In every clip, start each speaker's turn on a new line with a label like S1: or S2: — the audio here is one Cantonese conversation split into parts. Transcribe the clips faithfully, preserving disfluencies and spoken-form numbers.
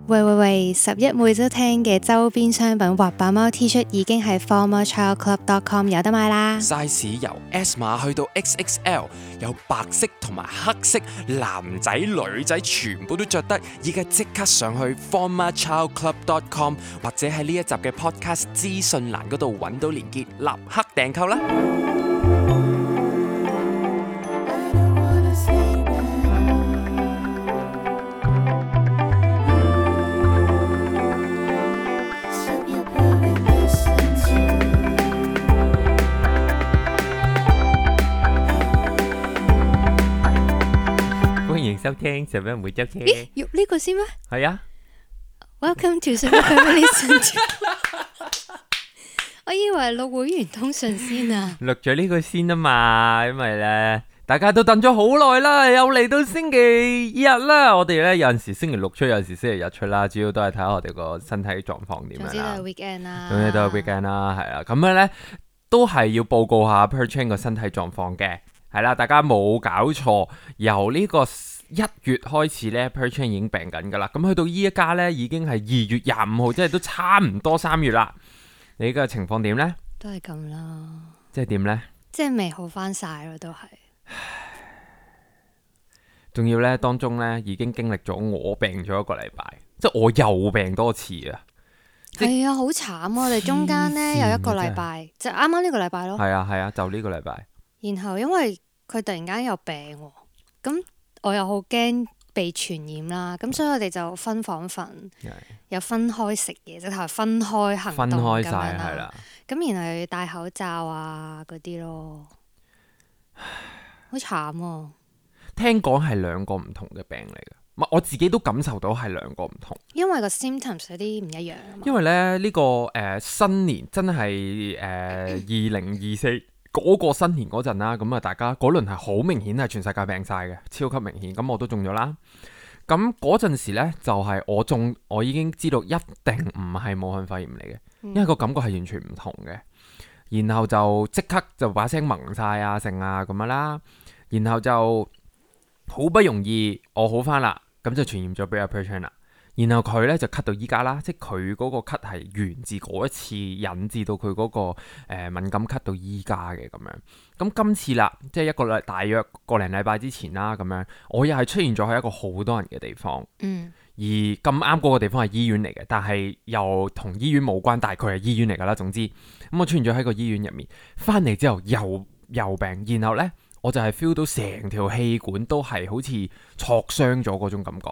S1: 喂喂喂！十一每周聽嘅周邊商品滑板貓 T 恤已經喺 former child club dot com 有得買啦。
S2: size 由 S 碼去到 X X L， 有白色同埋黑色，男仔女仔全部都着得。而家即刻上去 former child club dot com 或者喺呢一集嘅 podcast 資訊欄嗰度揾到連結，立刻訂購啦！
S3: 收聽十一每周聽，
S1: 咦，要呢個先咩？
S3: 係啊
S1: Welcome to 十一 Family Listen。我以為錄會員通訊先啊，
S3: 錄咗呢個先啊嘛，因為咧大家都等咗好耐啦，又嚟到星期日啦。我哋咧有陣時星期六出，有陣時星期日出啦，主要都係睇下我哋個身體狀況點樣啦。
S1: 總之都係 weekend 啦，
S3: 總之都係 weekend 啦，係啦。咁樣咧都係要報告下 Perchan 個身體狀況嘅，係啦。大家冇搞錯，由呢個一月開始咧 Perchan 已經病緊噶啦，咁去到依一家咧已經係二月廿五號，即係都差唔多三月啦。你嘅情況點咧？
S1: 都係咁啦。
S3: 即係點咧？
S1: 即係未好翻晒咯，都係。
S3: 仲要咧當中咧已經經歷咗我病咗一個禮拜，即係我又病多次啊！
S1: 係啊，好慘啊！我哋中間咧有一個禮拜，就啱啱呢個禮拜咯。
S3: 係啊係啊，就呢個禮拜。
S1: 然後因為佢突然間有病，咁我又好驚被傳染啦，咁所以我哋就分房瞓，又分開食嘢，直頭係分開行動
S3: 分開晒
S1: 咁樣
S3: 係啦
S1: 啦。咁然後又要戴口罩啊嗰啲咯，好慘啊！
S3: 聽講係兩個唔同嘅病嚟嘅，唔係我自己都感受到係兩個唔同。
S1: 因為個 symptoms 有啲唔一樣啊嘛。
S3: 因為咧呢、這個誒、呃、新年真係誒二零二四。嗰個新年嗰陣啦，咁啊大家嗰輪係好明顯係全世界病晒嘅，超級明顯。咁我都中咗啦。咁嗰陣時呢，就係、是、我中，我已經知道一定唔係武漢肺炎嚟嘅，因為個感覺係完全唔同嘅。然後就即刻就把聲萌晒啊，成啊咁樣啦。然後就好不容易我好翻啦，咁就傳染咗俾阿 Perchan 啦。然後佢咧就咳到依家啦，即係佢嗰個咳係源自嗰一次引致到佢嗰、嗰個、呃、敏感咳到依家嘅咁樣。咁今次啦，即係一個禮大約個零禮拜之前啦，咁樣我又係出現咗喺一個好多人嘅地方，
S1: 嗯、
S3: 而咁啱嗰個地方係醫院嚟嘅，但係又同醫院冇關，但係佢係醫院嚟㗎啦。總之咁我出現咗喺個醫院入面，翻嚟之後又又病，然後呢，我就係 feel 到成條氣管都係好似挫傷咗嗰種感覺。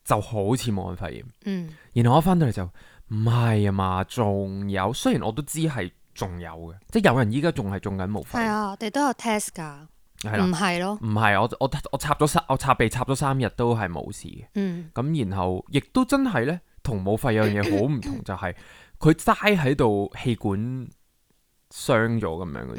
S3: 就好似武漢肺炎，
S1: 嗯，
S3: 然後我翻到嚟就唔係啊嘛，仲有，雖然我都知係仲有嘅，即係有人依家仲係中緊武肺，
S1: 係啊，我哋都有 test 㗎，唔係咯，
S3: 唔係我我我插咗三，我插鼻插咗三日都係冇事嘅，
S1: 嗯，
S3: 咁然後亦都真係咧，同武肺有樣嘢好唔同，就係佢齋喺度氣管傷咗咁樣嘅，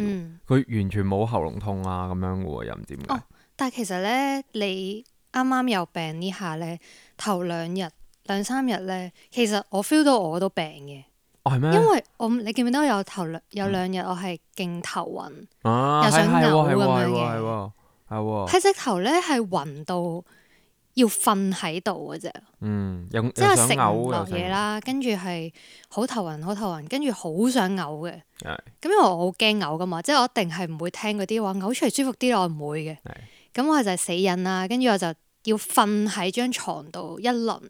S3: 佢、嗯、完全冇喉嚨痛啊咁樣嘅喎，又唔知點解、哦。
S1: 但係其實咧，你啱啱有病呢下咧，頭兩日兩三日咧，其實我 feel 到我都病嘅。
S3: 哦，係咩？
S1: 因為我你記唔記得有頭兩有兩日我係勁頭暈，
S3: 啊、
S1: 又想嘔咁樣嘅。
S3: 係喎，係喎。
S1: 係直頭咧係暈到要瞓喺度嘅啫。
S3: 嗯，即
S1: 係食唔落嘢啦，跟住係好頭暈，好頭暈，跟住好想嘔嘅。係。咁因為我好驚嘔噶嘛，即係我一定係唔會聽嗰啲話嘔出嚟舒服啲，我唔會嘅。係。咁我就係死忍啦，跟住我就要瞓喺張床度一輪，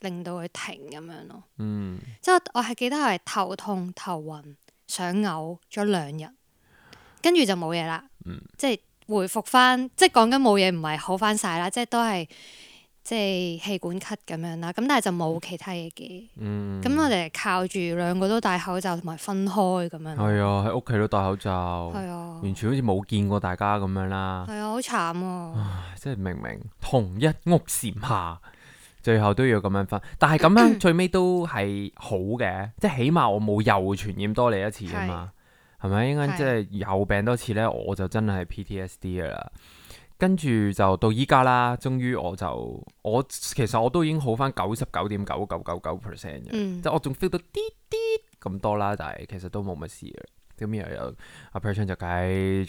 S1: 令到佢停咁樣咯。嗯，即係我係記得係頭痛、頭暈、想嘔咗兩日，跟住就冇嘢啦。嗯，即係回復翻，即係講緊冇嘢，唔係好翻晒啦，即係都係即係氣管咳咁樣啦。咁但係就冇其他嘢嘅。嗯，咁我哋靠住兩個都戴口罩同埋分開咁樣。係
S3: 啊，喺屋企都戴口罩。係啊，完全好似冇見過大家咁樣啦。
S1: 係啊，好慘啊！
S3: 唉，即係明明同一屋檐下，最後都要咁樣分。但係咁樣最尾都係好嘅，即係起碼我冇又傳染多你一次啊嘛。係咪？應該即係又病多次咧，我就真係 P T S D 噶啦。跟住就到依家啦，終於我就我其實我都已經好翻九十九點九九九九 percent 嘅，嗯、即係我仲 feel 到啲啲咁多啦，但係其實都冇乜事嘅。咁又有阿 Perchan 就繼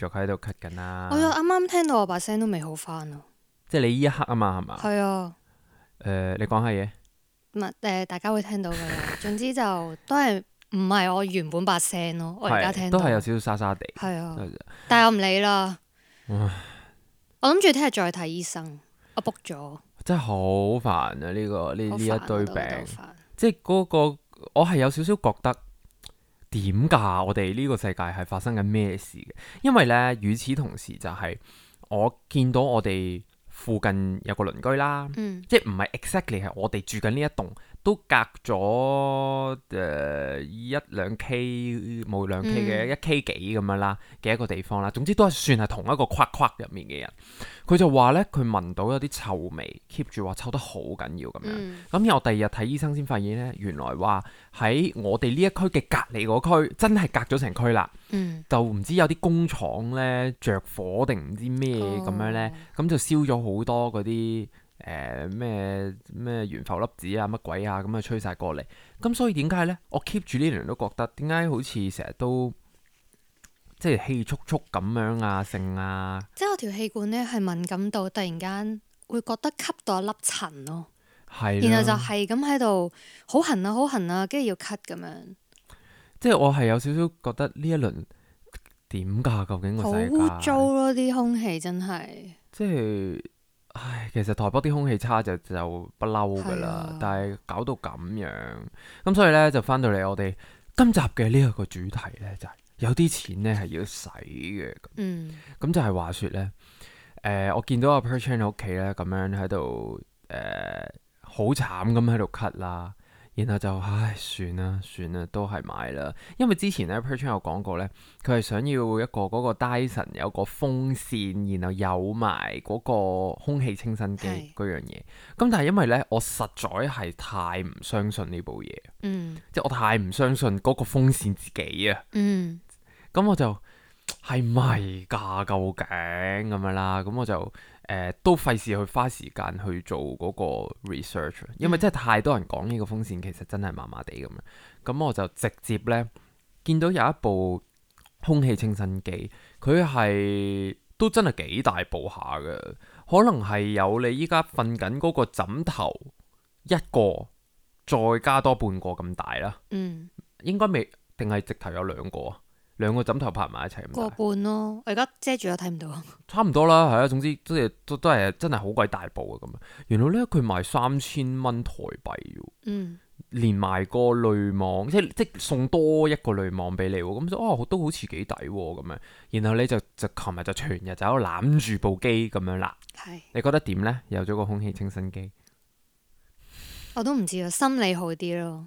S3: 續喺度咳緊啦。
S1: 我又啱啱聽到我把聲都未好翻啊！
S3: 即係你依一刻啊嘛，係嘛？
S1: 係啊。
S3: 誒、呃，你講下嘢。
S1: 唔係誒，大家會聽到㗎啦。總之就都係唔係我原本把聲咯，我而家聽到
S3: 都係有少少沙沙地。
S1: 係啊，但係我唔理啦。
S3: 唉
S1: 我諗住聽日再睇醫生，我 book 咗。
S3: 真係好煩啊！呢、呢個呢呢一堆病，即係嗰個我係有少少覺得點㗎？我哋呢個世界係發生緊咩事嘅？因為呢，與此同時就係我見到我哋附近有個鄰居啦，
S1: 嗯、
S3: 即係唔係 exactly 係我哋住緊呢一棟，都隔咗誒、呃、一兩 K 冇兩 K 嘅、嗯、一 K 幾咁樣啦嘅一個地方啦。總之都係算係同一個框框入面嘅人。佢就話呢，佢聞到有啲臭味 ，keep 住話臭得好緊要咁樣。咁然後第二日睇醫生先發現呢，原來話喺我哋呢一區嘅隔離嗰區，真係隔咗成區啦。
S1: 嗯、
S3: 就唔知有啲工廠呢着火定唔知咩咁樣呢，咁、哦、就燒咗好多嗰啲誒咩咩懸浮粒子啊乜鬼啊，咁啊吹晒過嚟。咁所以點解呢？我 keep 住呢輪都覺得點解好似成日都即係氣促促咁樣啊，性啊，
S1: 即係我條氣管呢係敏感到突然間會覺得吸到一粒塵咯，
S3: 係，
S1: 然後就係咁喺度好痕啊好痕啊，跟住要咳咁樣。
S3: 即係我係有少少覺得呢一輪點㗎？究竟個世界
S1: 好污糟咯，啲空氣真係。
S3: 即係，唉，其實台北啲空氣差就就不嬲㗎啦，啊、但係搞到咁樣，咁所以呢，就翻到嚟我哋今集嘅呢一個主題呢，就係、是、有啲錢呢係要使嘅。
S1: 嗯。咁
S3: 就係話說呢，誒、呃，我見到阿 Perchan 喺屋企呢，咁樣喺度誒，好慘咁喺度咳啦。然後就唉，算啦算啦，都係買啦。因為之前咧 Perchan 有講過咧，佢係想要一個嗰個 Dyson 有個風扇，然後有埋嗰個空氣清新機嗰是樣嘢。咁但係因為咧，我實在係太唔相信呢部嘢，
S1: 嗯，
S3: 即係我太唔相信嗰個風扇自己啊，
S1: 嗯，
S3: 咁我就係咪㗎？究竟咁樣啦？咁我就。誒、呃、都費事去花時間去做嗰個 research，因為真係太多人講呢個風扇其實真係麻麻地咁樣，咁我就直接呢見到有一部空氣清新機，佢係都真係幾大部下嘅，可能係有你依家瞓緊嗰個枕頭一個，再加多半個咁大啦，
S1: 嗯，
S3: 應該未定係直頭有兩個啊？兩個枕頭拍埋一齊咁大，
S1: 個半咯。我而家遮住咗睇唔到。差
S3: 唔多啦，係啊。總之都係都都係真係好鬼大部啊咁樣。原來咧佢賣三千蚊台幣喎，
S1: 嗯，
S3: 連埋個濾網，即即送多一個濾網俾你喎。咁就哦都好似幾抵喎咁樣。然後你就就琴日就全日就喺度攬住部機咁樣啦。
S1: 係是。
S3: 你覺得點咧？有咗個空氣清新機，
S1: 我都唔知啊，心理好啲咯。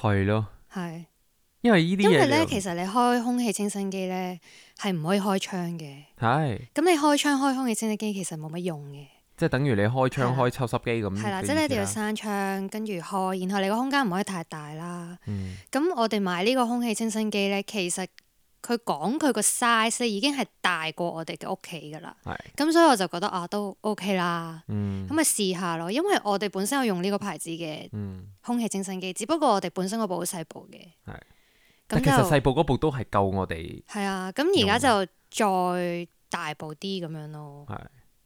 S3: 係咯。
S1: 係。
S3: 因為呢啲嘢，
S1: 因為咧，其實你開空氣清新機咧係唔可以開窗嘅。係是。咁你開窗開空氣清新機其實冇乜用嘅。即係等於你開窗開抽濕機咁。係啦，即係你一定要閂窗跟住開，然後你個空間唔可以太大啦。嗯。咁我哋買呢個空氣清新機咧，其實佢講佢個 size 已經係大過我哋嘅屋企噶啦。係是。咁所以我就覺得啊，都 OK 啦。嗯。咁咪試下咯，因為我哋本身有用呢個牌子嘅空氣清新機，嗯、只不過我哋本身嗰部好細部嘅。係。
S3: 但其實細部嗰部都係夠我哋。
S1: 係啊，咁而家就再大部啲咁樣咯。係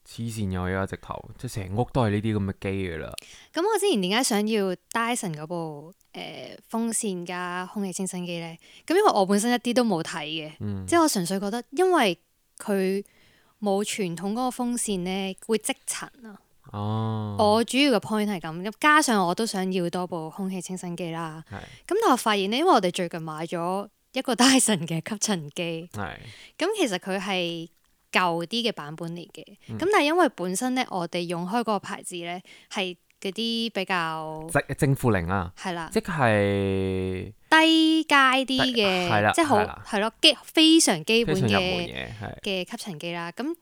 S3: 黐線嘅，而家直頭即係成屋都係呢啲咁嘅機噶啦。
S1: 咁我之前點解想要 Dyson 嗰部誒、呃、風扇加空氣清新機咧？咁因為我本身一啲都冇睇嘅，嗯、即係我純粹覺得，因為佢冇傳統嗰個風扇咧會積塵啊。哦，我主要嘅 point 係咁，加上我都想要多部空氣清新機啦。係是，咁但係我發現咧，因為我哋最近買咗一個 Dyson 嘅吸塵機，係是，咁其實佢係舊啲嘅版本嚟嘅，咁、嗯、但係因為本身咧，我哋用開嗰個牌子咧係嗰啲比較
S3: 正負零啊，
S1: 係啦，
S3: 即係
S1: 低階啲嘅，係啦，即係好係咯基非常基本嘅嘅吸塵機啦，咁。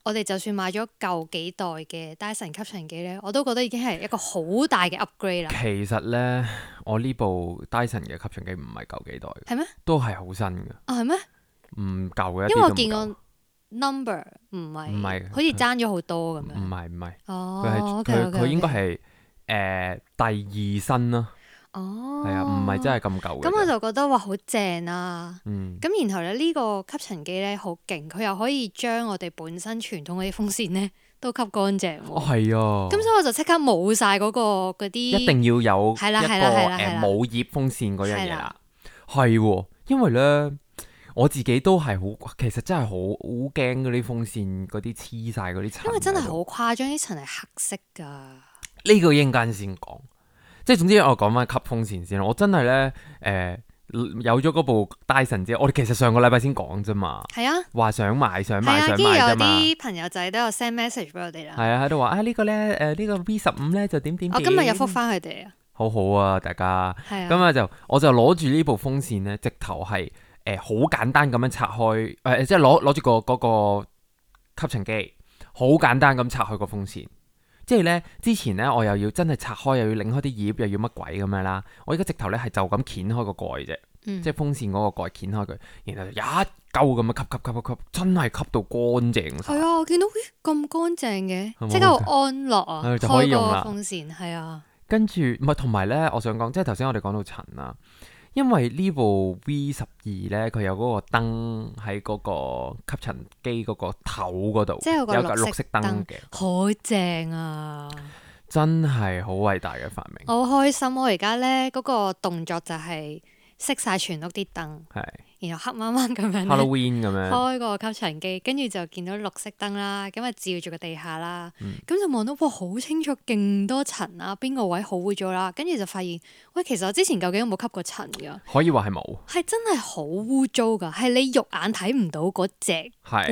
S1: 我哋就算買咗舊幾代嘅 Dyson 吸塵機咧，我都覺得已經係一個好大嘅 upgrade 啦。
S3: 其實咧，我呢部 Dyson 嘅吸塵機唔係舊幾代嘅，
S1: 係咩？都係好新嘅。啊，係咩？
S3: 唔舊嘅，
S1: 因為我見個 number 唔係，唔係，好似爭咗好多咁樣。
S3: 唔係唔係，
S1: 哦，
S3: 佢係佢佢應該係誒第二新啦。
S1: 哦，
S3: 係啊，唔係真係咁舊嘅。
S1: 咁我就覺得哇，好正啊！嗯，咁然後咧呢個吸塵機咧好勁，佢又可以將我哋本身傳統嗰啲風扇咧都吸乾淨喎。
S3: 哦，係啊。
S1: 咁所以我就即刻冇晒嗰個嗰啲，
S3: 一定要有
S1: 係啦
S3: 一個
S1: 係啦係啦
S3: 誒冇葉風扇嗰樣嘢啦
S1: 係啦。
S3: 係喎，因為咧我自己都係好，其實真係好好驚嗰啲風扇嗰啲黐晒嗰啲塵。
S1: 因為真係好誇張，啲塵係黑色㗎。
S3: 呢個一陣間先講，即係總之我講翻吸風扇先啦。我真係咧誒有咗嗰部 Dyson 之後，我哋其實上個禮拜先講啫嘛。
S1: 係啊，
S3: 話想買想買
S1: 係啊，
S3: 想
S1: 跟住有
S3: 買啫嘛。
S1: 啲朋友仔都有 send message 俾我哋啦。
S3: 係啊，喺度話啊呢個咧誒呢個 V 十五咧就點點點。
S1: 我今日有覆翻佢哋啊。
S3: 好好啊，大家。
S1: 係啊。
S3: 咁啊就我就攞住呢部風扇咧，直頭係誒好簡單咁樣拆開，誒、呃、即係攞攞住個嗰個吸塵機，好簡單咁拆開個風扇。即係咧之前咧我又要真係拆開，又要擰開啲葉，又要乜鬼咁樣啦。我而家直頭咧係就咁掀開個蓋啫，
S1: 嗯、
S3: 即係風扇嗰個蓋掀開佢，然後就一嚿咁樣吸吸吸吸吸，真係吸到乾淨晒。
S1: 係啊，我見到咦咁乾淨嘅，即
S3: 係咪
S1: 刻好安樂啊！
S3: 係就可以用啦。
S1: 開個風扇係啊。
S3: 跟住唔係同埋咧，我想講即係頭先我哋講到塵啦。因為呢部 V 十二咧，佢有嗰個燈喺嗰個吸塵機嗰個頭嗰度，
S1: 即係有個綠色
S3: 燈嘅，
S1: 好正啊！
S3: 真係好偉大嘅發明。
S1: 我好開心，我而家咧嗰個動作就係熄晒全屋啲燈，
S3: 係
S1: 然後黑掹掹咁樣
S3: Halloween 咁樣
S1: 開個吸塵機，跟住就見到綠色燈啦，咁啊照住個地下啦，咁、嗯、就望到哇好清楚，勁多塵啊，邊個位好污糟啦，跟住就發現喂，其實我之前究竟有冇吸過塵㗎？
S3: 可以話係冇，
S1: 係真係好污糟㗎，係你肉眼睇唔到嗰隻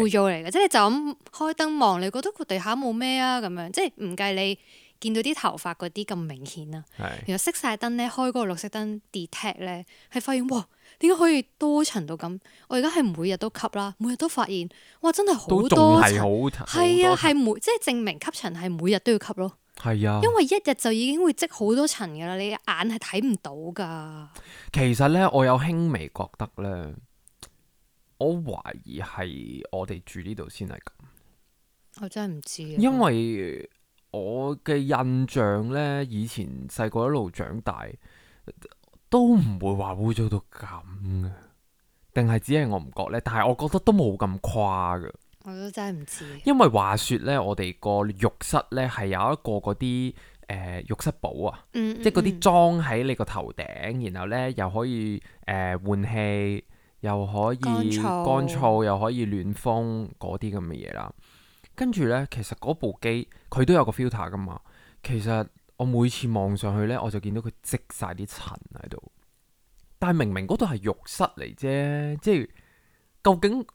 S1: 污糟嚟嘅，即係你就咁開燈望，你覺得個地下冇咩啊咁樣，即係唔計你見到啲頭髮嗰啲咁明顯啊。
S3: 是
S1: 然後熄晒燈咧，開嗰個綠色燈 detect 咧，係發現哇，點解可以多塵到咁？我而家係每日都吸啦，每日都發現哇，真係好多塵，係啊，係每即係證明吸塵係每日都要吸咯。
S3: 係啊，
S1: 因為一日就已經會積好多塵噶啦，你眼係睇唔到噶。
S3: 其實咧，我有輕微覺得咧，我懷疑係我哋住呢度先係咁。
S1: 我真係唔知啊，
S3: 因為我嘅印象咧，以前細個一路長大，都唔會話污糟到咁嘅，定係只係我唔覺咧？但係我覺得都冇咁誇嘅。
S1: 我都真係唔知。因
S3: 為話說咧，我哋個浴室咧係有一個嗰啲誒浴室寶啊，嗯嗯嗯即係嗰啲裝喺你個頭頂，然後咧又可以誒、呃、換氣，又可以乾燥，乾燥又可以暖風嗰啲咁嘅嘢啦。跟住咧，其實嗰部機佢都有個 filter 噶嘛。其實我每次望上去咧，我就見到佢積晒啲塵喺度。但係明明嗰度係浴室嚟啫，即係究竟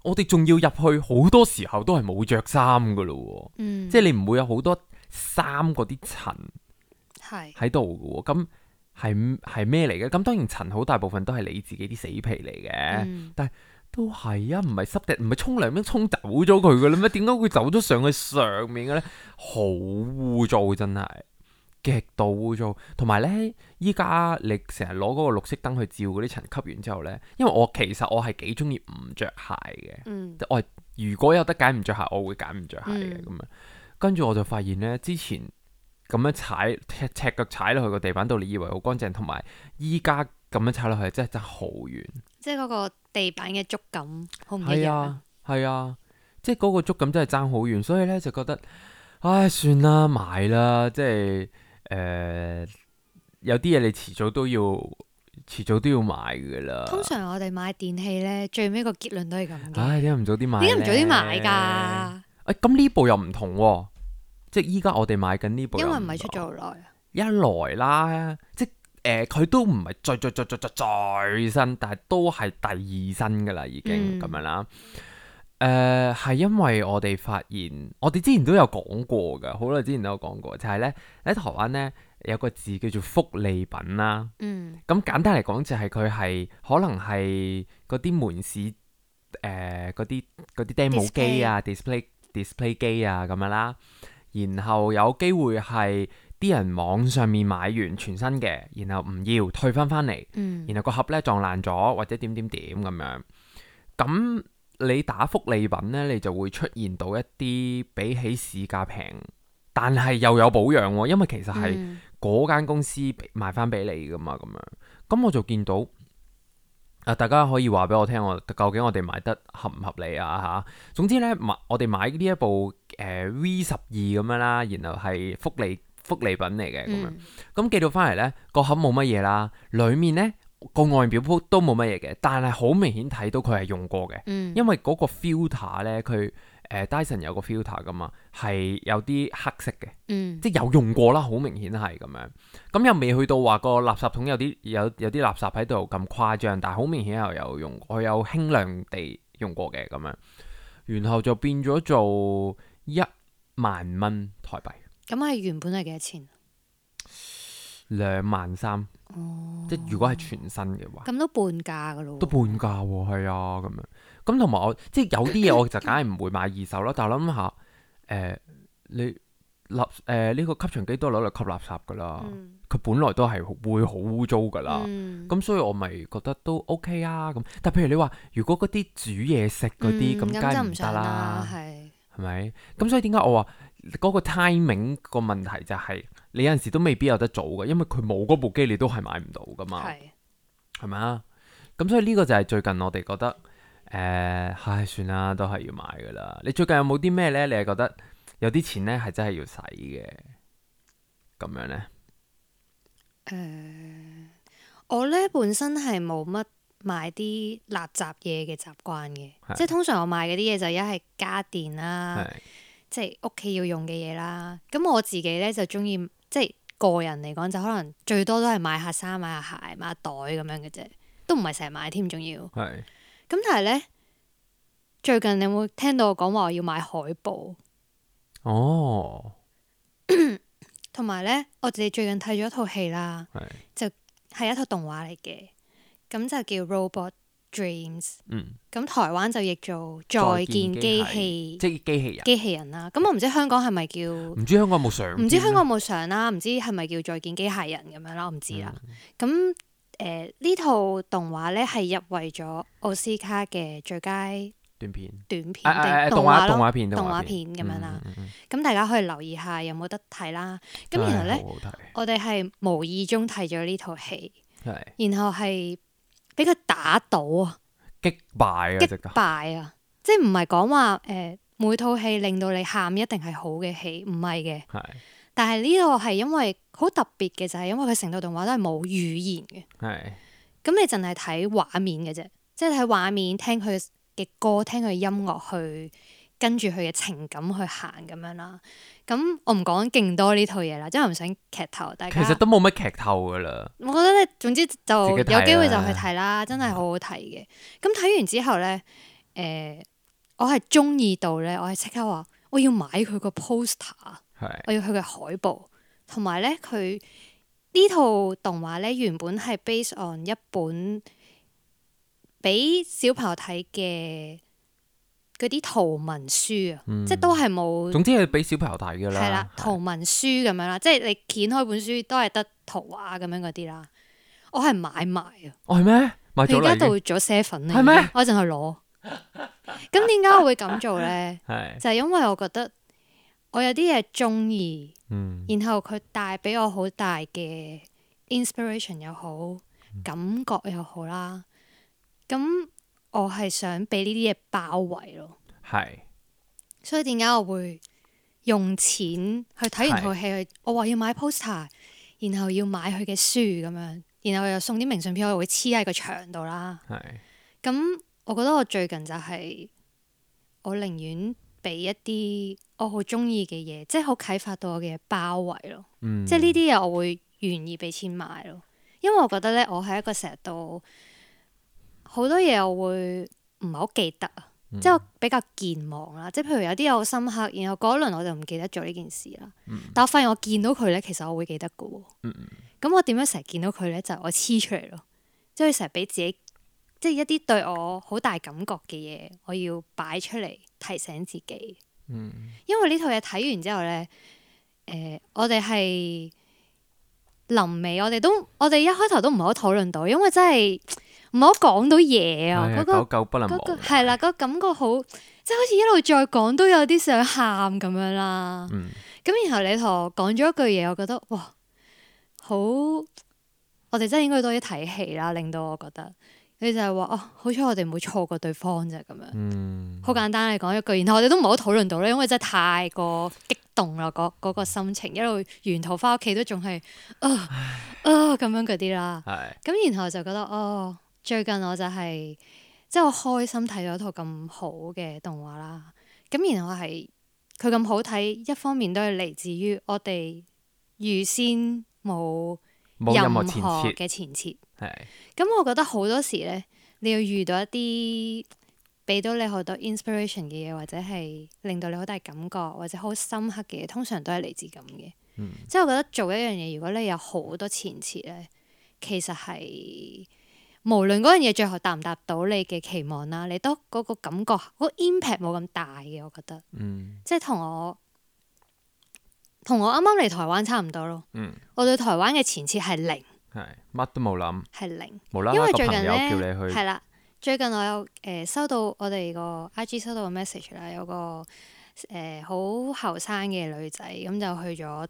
S3: 我哋仲要入去，好多時候都係冇着衫噶咯。嗯、即係你唔會有好多衫嗰啲塵係喺度噶。咁係係咩嚟嘅？咁當然塵好大部分都係你自己啲死皮嚟嘅，嗯、但係。都係啊，唔係濕地，唔係沖涼咩沖走咗佢嘅咧咩？點解會走咗上去上面嘅咧？好污糟，真係極度污糟。同埋咧，依家你成日攞嗰個綠色燈去照嗰啲塵，吸完之後咧，因為我其實我係幾中意唔着鞋嘅，嗯、我如果有得揀唔着鞋，我會揀唔着鞋嘅咁樣。跟住我就發現咧，之前咁樣踩赤赤腳踩落去個地板度，你以為好乾淨，同埋依家咁樣踩落去，真係真係好遠。即係嗰個
S1: 地板嘅觸感好唔一樣。
S3: 係啊，係啊，即係嗰個觸感真係爭好遠，所以咧就覺得，唉，算啦，買啦，即係誒、呃，有啲嘢你遲早都要，遲早都要買噶啦。
S1: 通常我哋買電器咧，最尾個結論都係咁嘅。
S3: 唉，點解唔早啲買？
S1: 點解唔早啲買噶？
S3: 誒，咁呢部又唔同喎，即係依家我哋買緊呢部，
S1: 因為唔係出咗好耐啊。
S3: 一來啦，即誒佢、呃、都唔係最最最最最最新，但係都係第二新噶啦，已經咁、嗯、樣啦。誒、呃、係因為我哋發現，我哋之前都有講過噶，好耐之前都有講過，就係咧喺台灣咧有個字叫做福利品啦。嗯，咁簡單嚟講就係佢係可能係嗰啲門市誒嗰啲嗰啲 demo 機啊 display display 機啊咁樣啦，然後有機會係。啲人網上面買完全新嘅，然後唔要退翻翻嚟，嗯、然後個盒咧撞爛咗或者點點點咁樣，咁你打福利品咧，你就會出現到一啲比起市價平，但係又有保養喎，因為其實係嗰間公司賣翻俾你噶嘛，咁樣，咁我就見到啊，大家可以話俾我聽，我究竟我哋買得合唔合理啊嚇？總之咧，買我哋買呢一部誒、呃、V 十二咁樣啦，然後係福利福利品嚟嘅咁樣。咁、嗯、寄到翻嚟咧，個盒冇乜嘢啦，裡面咧個外表都冇乜嘢嘅，但係好明顯睇到佢係用過嘅，嗯、因為嗰個 filter 咧，佢誒、呃、Dyson 有個 filter 噶嘛，係有啲黑色嘅，嗯、即係有用過啦，好明顯係咁樣。咁又未去到話個垃圾桶有啲有有啲垃圾喺度咁誇張，但係好明顯又有用，我有輕量地用過嘅咁樣，然後就變咗做一萬蚊台幣。
S1: 咁係原本係幾多錢？
S3: 兩萬三，哦、即係如果係全新嘅話，
S1: 咁都半價噶咯，
S3: 都半價喎，係啊，咁樣。咁同埋我即係有啲嘢我就梗係唔會買二手啦，但係我諗下，誒、呃、你垃誒呢個吸塵機都攞嚟吸垃圾噶啦，佢、嗯、本來都係會好污糟噶啦，咁、嗯、所以我咪覺得都 OK 啊咁。但係譬如你話，如果嗰啲煮嘢食嗰啲，咁梗係唔得啦，係係咪？咁所以點解我話嗰個 timing 個問題就係、是、你有陣時都未必有得做嘅，因為佢冇嗰部機，你都係買唔到噶嘛，係咪啊？咁所以呢個就係最近我哋覺得誒，唉、呃，算啦，都係要買噶啦。你最近有冇啲咩咧？你係覺得有啲錢咧係真係要使嘅咁樣咧？
S1: 誒、呃，我咧本身係冇乜買啲垃圾嘢嘅習慣嘅，是即係通常我買嗰啲嘢就一係家電啦，是即係屋企要用嘅嘢啦。咁我自己咧就中意，即係個人嚟講就可能最多都係買下衫、買下鞋、買下袋咁樣嘅啫，都唔係成日買添，仲要。係是。咁但係咧，最近你有冇聽到我講話我要買海報？哦。同埋咧，我哋最近睇咗一套戲啦，是就係一套動畫嚟嘅，咁就叫 Robot Dreams。嗯。咁台灣就譯做再見機器，
S3: 即係機器人。
S1: 機器人啦，咁我唔知香港係咪叫？
S3: 唔知香港有冇上？
S1: 唔知香港有冇上啦，唔知係咪叫再見機械人咁樣啦，我唔知啦。咁誒呢套動畫咧係入圍咗奧斯卡嘅最佳
S3: 短片，
S1: 短片定動畫咯，動畫片動畫片咁樣啦。咁、嗯嗯、大家可以留意下有冇得睇啦。咁然後咧，我哋係無意中睇咗呢套戲，是然後係俾佢打倒啊，
S3: 擊敗啊，
S1: 擊敗啊，即係唔係講話誒每套戲令到你喊一定係好嘅戲，唔係嘅。係是，但係呢個係因為好特別嘅，就係、是、因為佢成套動畫都係冇語言嘅。係是，咁你淨係睇畫面嘅啫，即係睇畫面，聽佢嘅歌，聽佢嘅音樂去跟住佢嘅情感去行咁樣啦。咁我唔講勁多呢套嘢啦，即係唔想劇透大家。
S3: 其實都冇乜劇透噶啦。
S1: 我覺得咧，總之就有機會就去睇啦，真係好好睇嘅。咁睇完之後咧，誒、呃，我係中意到咧，我係即刻話我要買佢個 poster，是我要佢嘅海報，同埋咧佢呢套動畫咧原本係 based on 一本俾小朋友睇嘅嗰啲圖文書啊，嗯、即係都係冇。總之係
S3: 俾小朋友睇噶啦。係啦，
S1: 圖文書咁樣啦，即係你掀開本書都係得圖畫咁樣嗰啲啦。我係買埋啊。
S3: 哦係咩？買咗啦。而家
S1: 到咗 seven
S3: 係咩？
S1: 我淨係攞。咁點解我會咁做咧？係就係因為我覺得我有啲嘢中意，嗯、然後佢帶俾我好大嘅 inspiration 又好，感覺又好啦。咁我係想俾呢啲嘢包圍咯，係是，所以點解我會用錢去睇完套戲？去是我話要買 poster，然後要買佢嘅書咁樣，然後又送啲明信片，我又會黐喺個牆度啦。係是，咁我覺得我最近就係、是、我寧願俾一啲我好中意嘅嘢，即係好啟發到我嘅嘢包圍咯。嗯、即係呢啲嘢我會願意俾錢買咯，因為我覺得咧，我係一個成日都。好多嘢我會唔係好記得啊，嗯、即係我比較健忘啦。即係譬如有啲嘢好深刻，然後嗰一輪我就唔記得咗呢件事啦。嗯、但我發現我見到佢咧，其實我會記得㗎喎。咁、嗯、我點樣成日見到佢咧？就係、我黐出嚟咯，即係成日俾自己，即係一啲對我好大感覺嘅嘢，我要擺出嚟提醒自己。嗯、因為呢套嘢睇完之後咧，誒、呃，我哋係臨尾，我哋都我哋一開頭都唔係好討論到，因為真係。唔好講到嘢啊！嗰、嗰個嗰個係啦，嗰個感覺好，即係好似一路再講都有啲想喊咁樣啦。咁、嗯、然後你同我講咗一句嘢，我覺得哇，好！我哋真係應該多啲睇戲啦，令到我覺得你就係話哦，好彩我哋唔會錯過對方啫咁樣。
S3: 嗯，
S1: 好簡單嚟講一句，然後我哋都唔好討論到咧，因為真係太過激動啦，嗰、嗰個心情一路沿途翻屋企都仲係啊啊咁樣嗰啲啦。咁
S3: 係
S1: 然後就覺得哦，最近我就係即係我開心睇咗套咁好嘅動畫啦。咁然後係佢咁好睇，一方面都係嚟自於我哋預先冇任何嘅前設。
S3: 係
S1: 咁我覺得好多時咧，你要遇到一啲俾到你好多 inspiration 嘅嘢，或者係令到你好大感覺，或者好深刻嘅嘢，通常都係嚟自咁嘅。
S3: 嗯、
S1: 即係我覺得做一樣嘢，如果你有好多前設咧，其實係無論嗰樣嘢最後達唔達到你嘅期望啦，你都嗰個感覺嗰、嗰個 impact 冇咁大嘅。我覺得，
S3: 嗯、
S1: 即係同我同我啱啱嚟台灣差唔多咯。
S3: 嗯、
S1: 我對台灣嘅前設係零。
S3: 係乜都冇諗，
S1: 係零，
S3: 無啦啦
S1: 因為
S3: 個朋友
S1: 最近咧
S3: 叫你去，
S1: 係啦，最近我有誒、呃、收到我哋個 I G 收到個 message 啦，有個誒好後生嘅女仔咁就去咗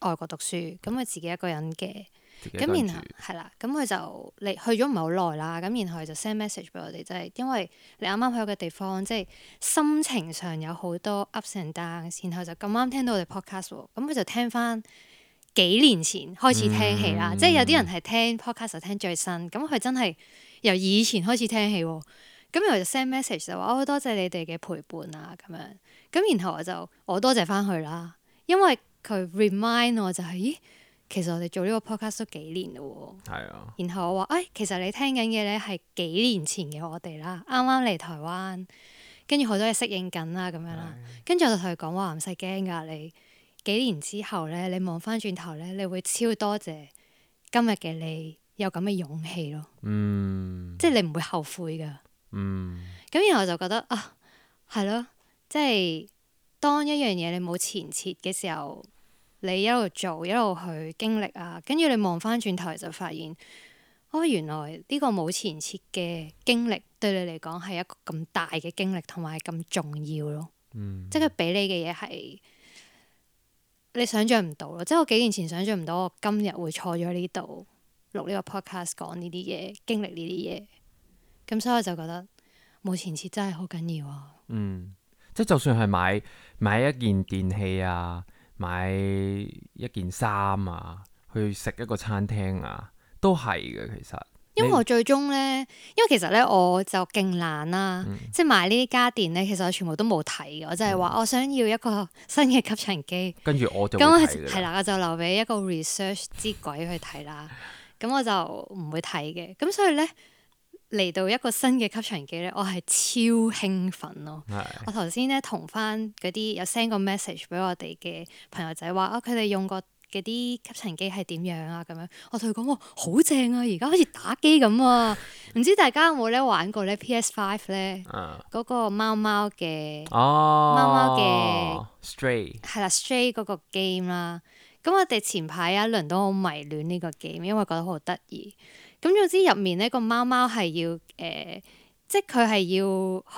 S1: 外國讀書，咁佢自己一個人嘅，咁然後係啦，咁佢就嚟去咗唔係好耐啦，咁然後佢就 send message 俾我哋，就係、是、因為你啱啱去一個地方，即係心情上有好多 ups and downs，然後就咁啱聽到我哋 podcast 喎，咁佢就聽翻。幾年前開始聽戲啦，嗯、即係有啲人係聽 podcast 就聽最新，咁佢真係由以前開始聽戲喎，咁然後就 send message 就話哦，多謝你哋嘅陪伴啊咁樣，咁然後我就我多謝翻佢啦，因為佢 remind 我就係、是、咦，其實我哋做呢個 podcast 都幾年咯喎，係啊，然後我話誒、哎，其實你聽緊嘅咧係幾年前嘅我哋啦，啱啱嚟台灣，跟住好多嘢適應緊啦咁樣啦，跟住我就同佢講話唔使驚㗎你。幾年之後咧，你望翻轉頭咧，你會超多謝今日嘅你有咁嘅勇氣咯。嗯，即係你唔會後悔噶。嗯，咁然後我就覺得啊，係咯，即係當一樣嘢你冇前設嘅時候，你一路做一路去經歷啊，跟住你望翻轉頭就發現，哦，原來呢個冇前設嘅經歷對你嚟講係一個咁大嘅經歷，同埋咁重要咯。嗯，即係佢俾你嘅嘢係。你想象唔到咯，即係我幾年前想象唔到，我今日會坐咗呢度錄呢個 podcast 講呢啲嘢，經歷呢啲嘢，咁所以我就覺得冇前設真係好緊要啊。嗯，
S3: 即係就算係買買一件電器啊，買一件衫啊，去食一個餐廳啊，都係嘅其實。
S1: 因為我最終咧，因為其實咧我就勁懶啦，嗯、即係買呢啲家電咧，其實我全部都冇睇嘅，我就係話我想要一個新嘅吸塵機，
S3: 跟住我就咁
S1: 係啦，我就留俾一個 research 之鬼去睇啦，咁我就唔會睇嘅，咁所以咧嚟到一個新嘅吸塵機咧，我係超興奮咯。的我頭先咧同翻嗰啲有 send 個 message 俾我哋嘅朋友仔話啊，佢哋用過嗰啲吸塵機係點樣啊？咁樣我同佢講哇，好正啊！而家好似打機咁啊！唔知大家有冇咧玩過咧 P S 五 咧？嗰、啊、個貓貓嘅貓貓嘅
S3: Stray
S1: 係啦 Stray 嗰個 game 啦。咁我哋前排有一輪都好迷戀呢個 game，因為覺得好得意。咁總之入面呢個貓貓係要誒、呃，即係佢係要，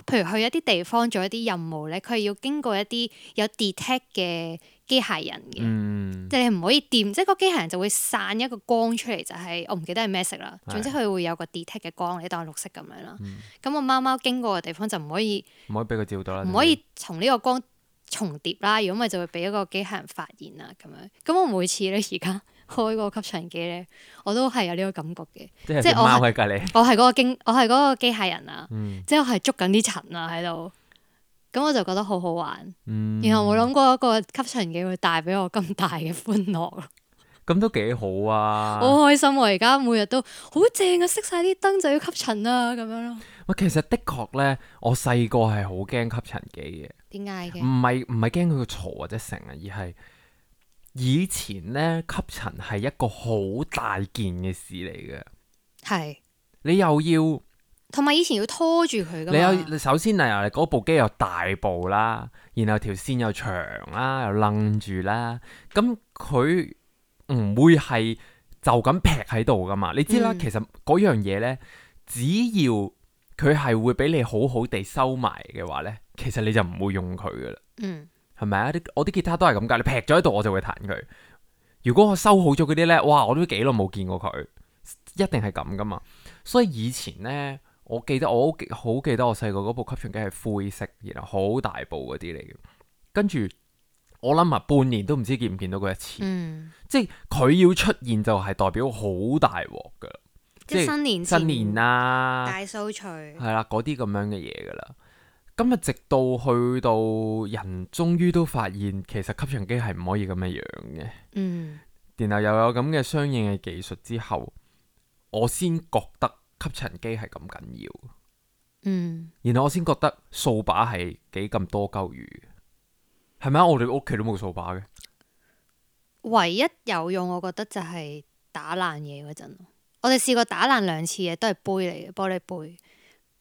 S1: 譬如去一啲地方做一啲任務咧，佢係要經過一啲有 detect 嘅機械人嘅，嗯、即係你唔可以掂，即係個機械人就會散一個光出嚟，就係、是、我唔記得係咩色啦。總之佢會有個 detect 嘅光，你當係綠色咁樣啦。咁個貓貓經過嘅地方就唔可以，
S3: 唔可以俾佢照到啦，
S1: 唔可以從呢個光重疊啦。如果咪就會俾一個機械人發現啦咁樣。咁我每次咧而家開個吸塵機咧，我都係有呢個感覺嘅，
S3: 即係貓喺隔離，
S1: 我係嗰個經，我係嗰個機械人啊，嗯、即係我係捉緊啲塵啊喺度。咁我就覺得好好玩，嗯、然後冇諗過一個吸塵機會帶俾我咁大嘅歡樂咯。
S3: 咁都幾好啊！
S1: 好開心我而家每日都好正啊！熄晒啲燈就要吸塵啊，咁樣咯。
S3: 喂，其實的確咧，我細個係好驚吸塵機嘅。
S1: 點解嘅？
S3: 唔係唔係驚佢個嘈或者成啊，而係以前咧吸塵係一個好大件嘅事嚟嘅。係是。你又要。
S1: 同埋以前要拖住佢噶嘛？
S3: 你有首先啊，嗰部機又大部啦，然後條線又長啦，又楞住啦，咁佢唔會係就咁劈喺度噶嘛？你知啦，嗯、其實嗰樣嘢呢，只要佢係會俾你好好地收埋嘅話呢，其實你就唔會用佢噶啦。嗯，係咪啊？我啲吉他都係咁噶，你劈咗喺度我就會彈佢。如果我收好咗嗰啲呢，哇！我都幾耐冇見過佢，一定係咁噶嘛。所以以前呢，我記得我好好記得我細個嗰部吸塵機係灰色，然後好大部嗰啲嚟嘅。跟住我諗啊，半年都唔知見唔見到佢一次。
S1: 嗯、
S3: 即係佢要出現就係代表好大鑊噶。
S1: 即係新年
S3: 新年啊，
S1: 大掃除
S3: 係啦，嗰啲咁樣嘅嘢噶啦。咁啊，直到去到人終於都發現，其實吸塵機係唔可以咁嘅樣嘅。
S1: 嗯，
S3: 然後又有咁嘅相應嘅技術之後，我先覺得吸塵機係咁緊要。
S1: 嗯，
S3: 然後我先覺得掃把係幾咁多鳩餘，係咪啊？我哋屋企都冇掃把嘅。
S1: 唯一有用，我覺得就係打爛嘢嗰陣。我哋試過打爛兩次嘢，都係杯嚟嘅，玻璃杯。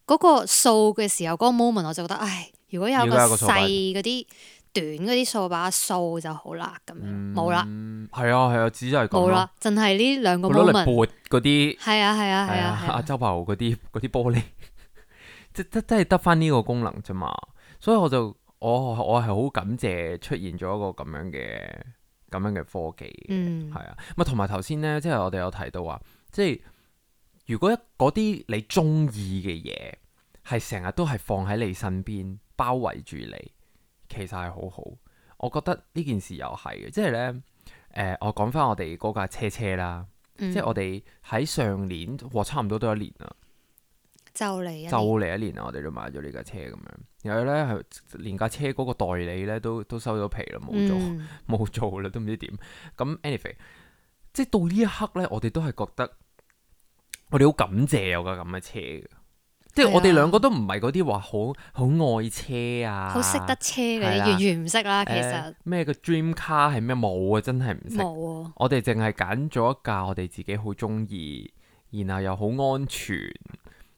S1: 嗰、嗰個掃嘅時候，嗰、嗰個 moment 我就覺得，唉，如果有個細嗰啲短嗰啲掃把掃就好啦，咁樣冇啦。
S3: 係啊係啊，只係咁咯。
S1: 冇啦，淨係呢兩個 moment。
S3: 攞嚟撥嗰啲。
S1: 係啊係啊係啊。
S3: 阿周柏豪嗰啲嗰啲玻璃，即即真係得翻呢個功能啫嘛。所以我就我我係好感謝出現咗一個咁樣嘅咁樣嘅科技。嗯，係啊。咪同埋頭先咧，即係我哋有提到話。即係如果一嗰啲你中意嘅嘢係成日都係放喺你身邊包圍住你，其實係好好。我覺得呢件事又係嘅，即係呢，誒、呃，我講翻我哋嗰架車車啦，嗯、即係我哋喺上年，哇，差唔多都一年啦，
S1: 就嚟
S3: 就嚟一年啦，我哋都買咗呢架車咁樣。然後呢，係連架車嗰個代理呢都都收咗皮啦，冇做冇、嗯、做啦，都唔知點。咁 anyway。即係到呢一刻咧，我哋都係覺得我哋好感謝有架咁嘅車嘅，即係我哋兩個都唔係嗰啲話好好愛車啊，
S1: 好識得車嘅，啊、完全唔識啦。其實
S3: 咩個 dream car 係咩冇啊，真係唔識。
S1: 冇啊！
S3: 我哋淨係揀咗一架我哋自己好中意，然後又好安全，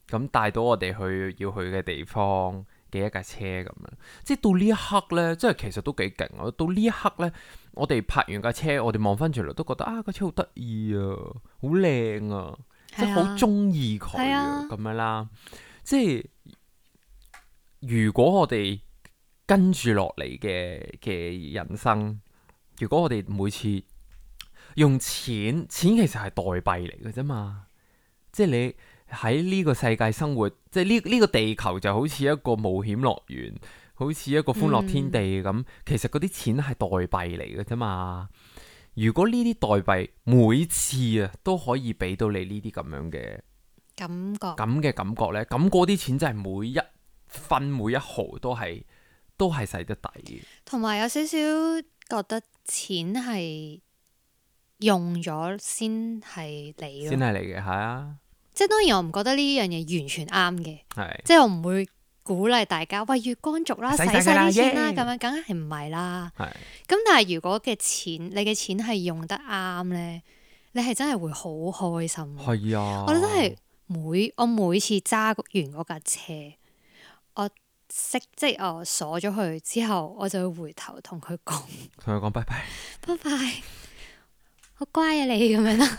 S3: 咁帶到我哋去要去嘅地方嘅一架車咁樣。即係到呢一刻咧，即係其實都幾勁啊！到呢一刻咧。我哋拍完架車，我哋望翻轉嚟都覺得啊，架車好得意啊，好靚啊，即係好中意佢啊，咁樣啦。即係如果我哋跟住落嚟嘅嘅人生，如果我哋每次用錢，錢其實係代幣嚟嘅啫嘛。即係你喺呢個世界生活，即係呢呢個地球就好似一個冒險樂園。好似一個歡樂天地咁，嗯、其實嗰啲錢係代幣嚟嘅啫嘛。如果呢啲代幣每次啊都可以俾到你呢啲咁樣嘅
S1: 感覺，
S3: 咁嘅感覺呢，咁嗰啲錢真係每一分每一毫都係都係使得抵嘅。
S1: 同埋有少少覺得錢係用咗先係你咯，
S3: 先係你嘅，係啊。
S1: 即係當然我唔覺得呢樣嘢完全啱嘅，
S3: 係
S1: 即係我唔會。鼓勵大家喂月光族啦，使晒啲錢啦，咁樣梗係唔係啦。咁是但係如果嘅錢，你嘅錢係用得啱呢，你係真係會好開心。
S3: 係啊，
S1: 我覺得係每我每次揸完嗰架車，我熄即係我鎖咗佢之後，我就會回頭同佢講，
S3: 同佢講拜拜，
S1: 拜拜，好乖啊你咁樣啦。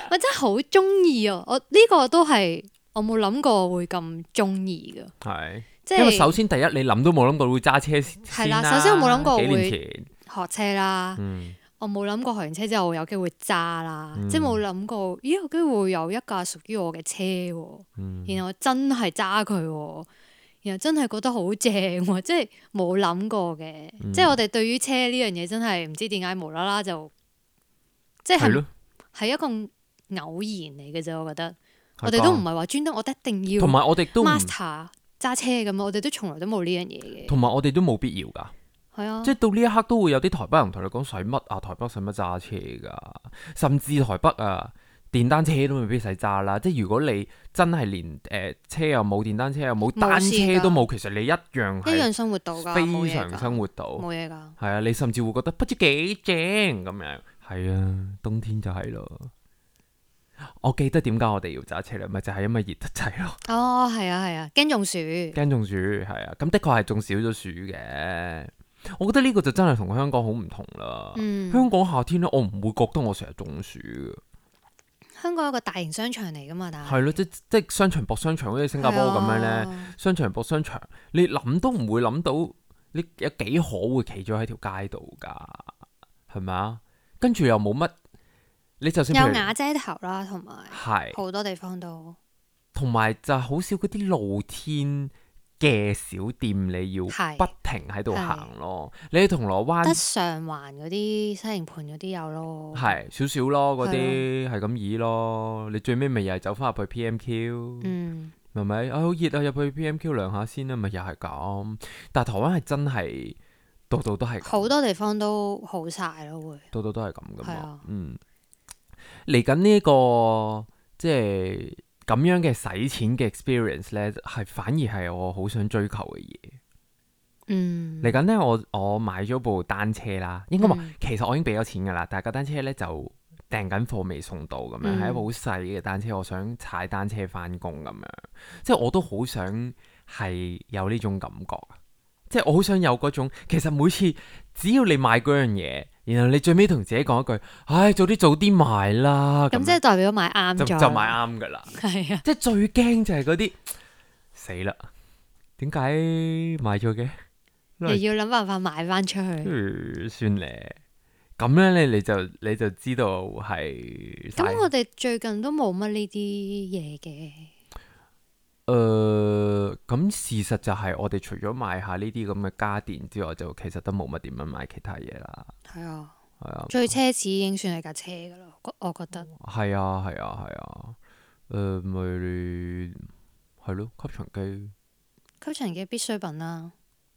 S1: 我真係好中意啊！我呢個都係。我冇諗過會咁中意噶，
S3: 係，
S1: 即係
S3: 因為首先第一你諗都冇諗過會揸車先啦。
S1: 係啦，首先我冇諗過會
S3: 幾年前
S1: 學車啦，
S3: 嗯、
S1: 我冇諗過學完車之後有機會揸啦，嗯、即係冇諗過，咦有機會有一架屬於我嘅車，嗯、然後我真係揸佢，然後真係覺得好正，即係冇諗過嘅，嗯、即係我哋對於車呢樣嘢真係唔知點解無啦啦就，即係係係一個偶然嚟嘅啫，我覺得。我哋都唔係話專登，我哋一定要。
S3: 同埋我哋都
S1: master 揸車咁，我哋都從來都冇呢樣嘢嘅。
S3: 同埋我哋都冇必要㗎。
S1: 係啊，
S3: 即係到呢一刻都會有啲台北人同你講使乜啊？台北使乜揸車㗎？甚至台北啊，電單車都未必使揸啦。即係如果你真係連誒、呃、車又冇，電單車又冇，單車都冇，其實你一樣係
S1: 一樣生活到㗎，
S3: 非常生活到
S1: 冇嘢㗎。
S3: 係啊，你甚至會覺得不知幾正咁樣。係啊，冬天就係咯。我記得點解我哋要揸車咧，咪就係、是、因為熱得滯咯。
S1: 哦，係啊，係啊，驚中暑，
S3: 驚中暑係啊，咁的確係中少咗暑嘅。我覺得呢個就真係同香港好唔同啦。嗯、香港夏天咧，我唔會覺得我成日中暑嘅。
S1: 香港有個大型商場嚟噶嘛，但係
S3: 係咯，即即商場駁商場，好似新加坡咁樣咧，啊、商場駁商場，你諗都唔會諗到，你有幾可會企咗喺條街度噶，係咪啊？跟住又冇乜。你就算
S1: 有瓦遮頭啦，同埋好多地方都
S3: 同埋就好少嗰啲露天嘅小店，你要不停喺度行咯。你喺銅鑼灣
S1: 得上環嗰啲西營盤嗰啲有咯，
S3: 係少少咯，嗰啲係咁易咯。你最尾咪又係走翻入去 P M Q，嗯，係咪啊？好熱啊，入去 P M Q 涼下先啦，咪又係咁。但係台灣係真係度度都係，
S1: 好多地方都好晒咯，會
S3: 度度都係咁噶嘛。啊、嗯，嚟緊呢個即係咁樣嘅使錢嘅 experience 咧，係反而係我好想追求嘅嘢。嗯，嚟緊咧，我我買咗部單車啦，應該話、嗯、其實我已經俾咗錢噶啦，但係個單車咧就訂緊貨未送到咁樣，係、嗯、一部好細嘅單車，我想踩單車翻工咁樣，即係我都好想係有呢種感覺，即係我好想有嗰種，其實每次只要你買嗰樣嘢。然後你最尾同自己講一句，唉，早啲早啲買啦。
S1: 咁即係代表買啱咗，
S3: 就就買啱噶啦。係啊，即係最驚就係嗰啲死啦，點解買咗嘅？
S1: 又要諗辦法買翻出去。
S3: 嗯、算咧，咁樣咧你就你就知道係。
S1: 咁我哋最近都冇乜呢啲嘢嘅。
S3: 誒、呃，咁事實就係我哋除咗買下呢啲咁嘅家電之外，就其實都冇乜點樣買其他嘢啦。係
S1: 啊，
S3: 係啊，
S1: 最奢侈已經算係架車噶啦，我覺得。
S3: 係啊，係啊，係啊。誒，咪係咯，吸塵機。
S1: 吸塵機必需品啦。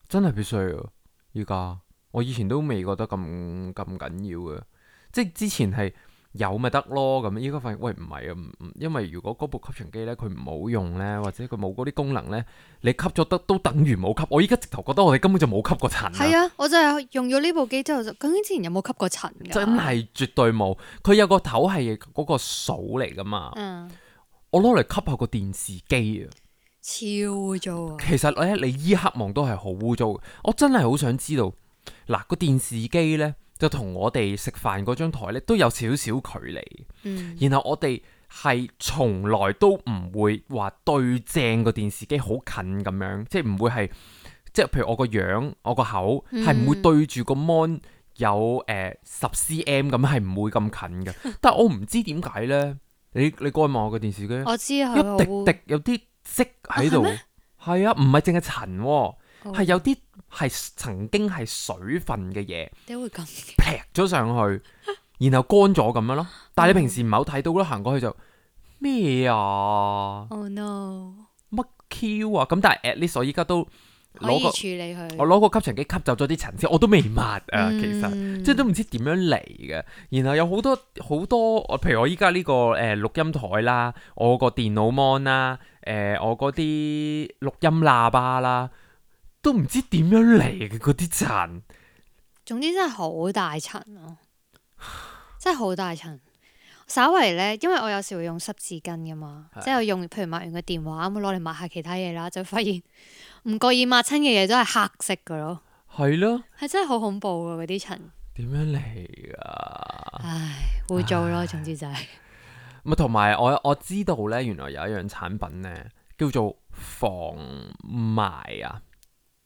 S3: 真係必須啊！依家我以前都未覺得咁咁緊要嘅，即係之前係。有咪得咯，咁依家發現喂唔係啊，唔唔，因為如果嗰部吸塵機咧佢唔好用咧，或者佢冇嗰啲功能咧，你吸咗得都等於冇吸。我依家直頭覺得我哋根本就冇吸過塵。
S1: 係啊，我就係用咗呢部機之後，就究竟之前有冇吸過塵㗎？
S3: 真係絕對冇。佢有個頭係嗰個掃嚟㗎嘛。嗯。我攞嚟吸下個電視機啊。
S1: 超污糟啊！
S3: 其實咧，你依刻望都係好污糟。我真係好想知道，嗱個電視機咧。就同我哋食飯嗰張台咧都有少少距離，嗯、然後我哋係從來都唔會話對正個電視機好近咁樣，即係唔會係即係譬如我個樣、我個口係唔、嗯、會對住個 mon 有誒十 cm 咁，係唔會咁近嘅。但係我唔知點解咧，你你過去望我個電視機，
S1: 我知
S3: 一滴滴有啲色喺度，係啊，唔係淨係塵喎。係、oh. 有啲係曾經係水分嘅嘢，
S1: 點會咁
S3: 劈咗上去，然後乾咗咁樣咯。但係你平時唔係好睇到咯，行過去就咩啊
S1: ？Oh no！
S3: 乜 Q 啊？咁但係 at least 我依家都攞個
S1: 處理佢，
S3: 我攞個吸塵機吸走咗啲塵先，我都未抹啊。嗯、其實即係都唔知點樣嚟嘅。然後有好多好多，譬如我依家呢個誒、呃、錄音台啦，我個電腦 mon 啦，誒、呃、我嗰啲錄音喇叭啦。都唔知點樣嚟嘅嗰啲塵，
S1: 總之真係好大塵咯、啊，真係好大塵。稍為咧，因為我有時會用濕紙巾噶嘛，是即係用譬如抹完個電話咁攞嚟抹下其他嘢啦，就發現唔覺意抹親嘅嘢都係黑色噶咯。係咯的，係真係好恐怖噶嗰啲塵。點樣嚟噶？唉，污糟咯，總之就係、是。
S3: 咪同埋我我知道咧，原來有一樣產品咧叫做防霾啊。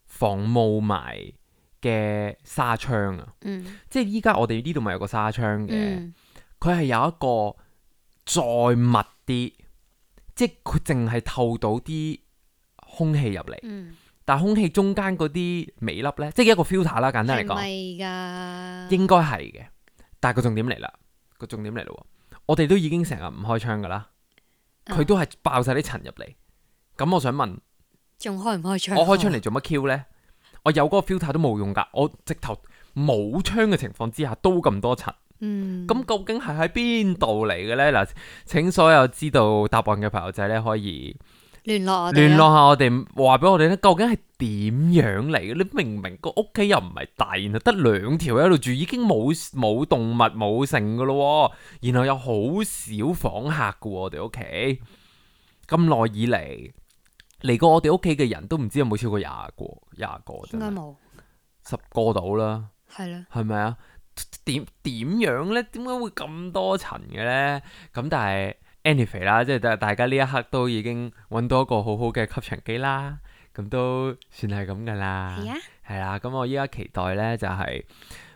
S3: 防霧霾嘅紗窗啊，嗯、即係依家我哋呢度咪有個紗窗嘅，佢係、嗯、有一個再密啲，即係佢淨係透到啲空氣入嚟，嗯、但係空氣中間嗰啲微粒咧，即係一個 filter 啦，簡單嚟講，係咪㗎？應該係嘅，但係個重點嚟啦，個重點嚟咯，我哋都已經成日唔開窗㗎啦，佢都係爆晒啲塵入嚟，咁我想問。
S1: 仲開唔開窗？
S3: 我開窗嚟做乜 Q 呢？我有嗰個 filter 都冇用噶，我直頭冇窗嘅情況之下都咁多塵。嗯，咁究竟係喺邊度嚟嘅呢？嗱，請所有知道答案嘅朋友仔咧，可以
S1: 聯絡我哋，
S3: 聯絡下我哋，話俾我哋咧，究竟係點樣嚟嘅？你明明個屋企又唔係大，然後得兩條喺度住，已經冇冇動物冇剩噶咯，然後有好少訪客噶，我哋屋企咁耐以嚟。嚟過我哋屋企嘅人都唔知有冇超過廿個，廿個應該冇十個到啦，係啦，係咪啊？點點樣咧？點解會咁多塵嘅咧？咁但係 anyway 啦，即係大家呢一刻都已經揾到一個好好嘅吸塵機啦，咁都算係咁噶啦，係啊，係啦。咁我依家期待咧就係、是、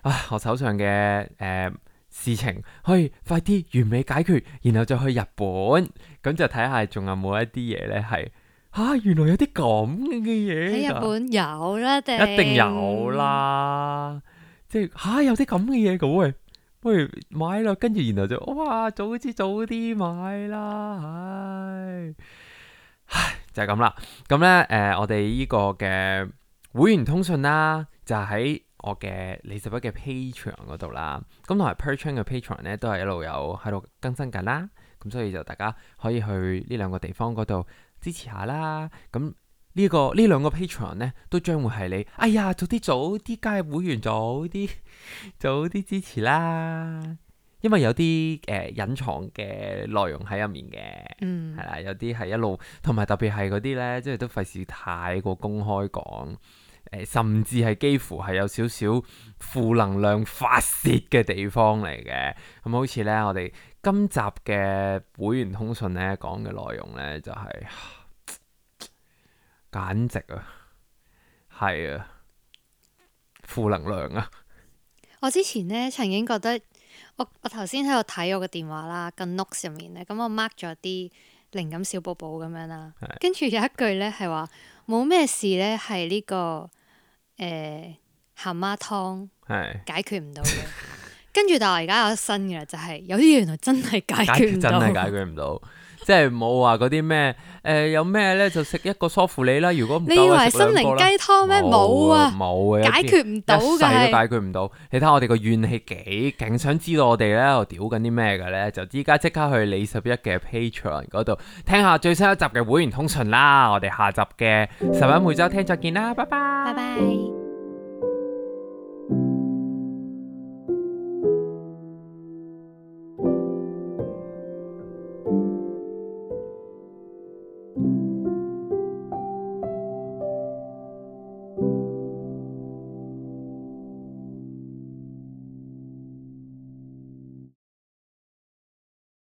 S3: 啊，我手上嘅誒事情可以快啲完美解決，然後就去日本，咁就睇下仲有冇一啲嘢呢係嚇，原來有啲咁嘅嘢
S1: 喺日本有啦，定
S3: 一定有啦，即係嚇有啲咁嘅嘢嘅喂，不如買啦，跟住然後就哇早知早啲買啦，唉，唉就係咁啦。咁呢，誒，我哋呢個嘅會員通訊啦，就喺我嘅李拾壹嘅 Patreon 嗰度啦，咁同埋 Perchun 嘅 Patreon 咧都係一路有喺度更新緊啦，咁所以就大家可以去呢兩個地方嗰度支持下啦。咁呢、呢個呢兩個 Patreon 咧都將會係你，哎呀早啲早啲加入會員，早啲早啲支持啦。因為有啲誒隱藏嘅內容喺入面嘅，嗯，係啦，有啲係一路，同埋特別係嗰啲咧，即係都費事太過公開講。誒，甚至係幾乎係有少少負能量發洩嘅地方嚟嘅。咁好似呢，我哋今集嘅會員通訊呢講嘅內容呢，就係、是、簡直啊，係啊，負能量啊！
S1: 我之前呢曾經覺得，我我頭先喺度睇我個電話啦，個 notes 入面呢，咁我 mark 咗啲靈感小寶寶咁樣啦，跟住有一句呢係話冇咩事呢係呢、這個。誒，鹹媽湯解決唔到嘅，跟住但係我而家有新嘅啦，就係、是、有啲原來真係解決唔到，
S3: 真係解決唔到，即係冇話嗰啲咩誒，有咩咧就食一個梳乎厘啦。如果唔夠，
S1: 你以為心靈雞湯咩？冇啊，
S3: 冇啊，
S1: 解決唔到嘅，一世都
S3: 解決唔到。你睇我哋個怨氣幾勁，想知道我哋咧又屌緊啲咩嘅咧，就依家即刻去李拾壹嘅 Patreon 嗰度聽下最新一集嘅會員通訊啦。我哋下集嘅拾壹每週聽再見啦，拜拜，
S1: 拜拜。